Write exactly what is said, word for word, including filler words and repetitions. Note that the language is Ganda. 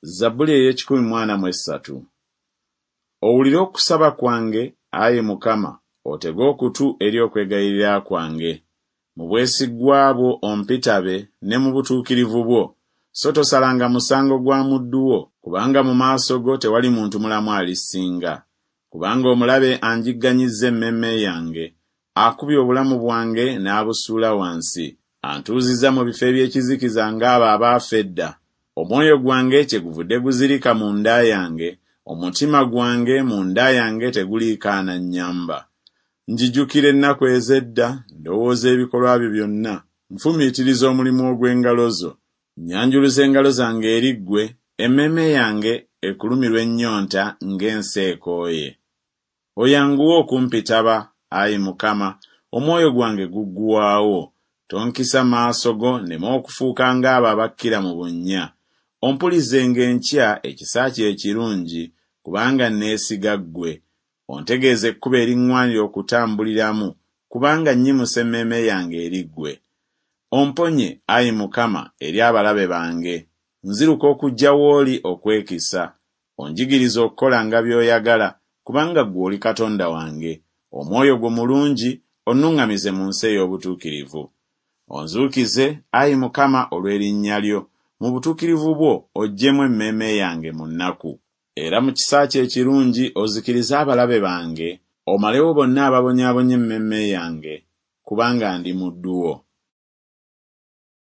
Zabbuli ey'ekikumi mu ana mu essatu. Owulire okusaba kwange, ayi Mukama, otege okutu eri okwegayirira kwange. Mu bwesigwa bwo ompitabe ne mu butuukirivu bwo, so tosalanga musango gwa muddu wo, kubanga mu maaso go tewali muntu mulamu alisinga. Kubanga omulabe anjigganyizza emmeeme yange, akubye obulamu bwange n'abusuula wansi, antuuzizza mu bifo eby'ekizikiza ng'abo abaafa edda. Omwoyo gwange kyeguvudde guzirika munda yange, omutima gwange munda yange teguliikaana nnyamba. Njijukira ennaku ez'edda, ndowooza ebikolwa byo byonna, nfumiitiriza omulimu ogw'engalo zo. Nnyanjuluza engalo zange eri ggwe, emmeeme yange ekulumirwa ennyonta ng'ensi ekooye. Oyanguwe okumpitaba, ayi Mukama, omwoyo gwange guggwaawo. Tonkisa maaso go nneme okufuuka ng'abo abakkira mu bunnya. Ompulizenga enkya ekisa kyo ekirungi, kubanga neesiga ggwe. Ontegeeze ekkubo eriŋŋwanira okutambuliramu, kubanga nnyimusa emmeeme yange eri ggwe. Omponye, ayi Mukama, eri abalabe bange. Nziruka okujja w'oli okwekisa. Onjigirize okukolanga by'oyagala, kubanga ggwe oli Katonda wange. Omwoyo gwo mulungi, onnuŋŋamize mu nsi ey'obutuukirivu. Onzuukize, ayi Mukama, olw'erinnya lyo, mu butuukirivu bwo oggyemu emmeeme yange mu nnaku. Era mu kisa kyo ekirungi ozikirize abalabe bange, omalewo bonna ababonyaabonya emmeeme yange, kubanga ndi muddu wo.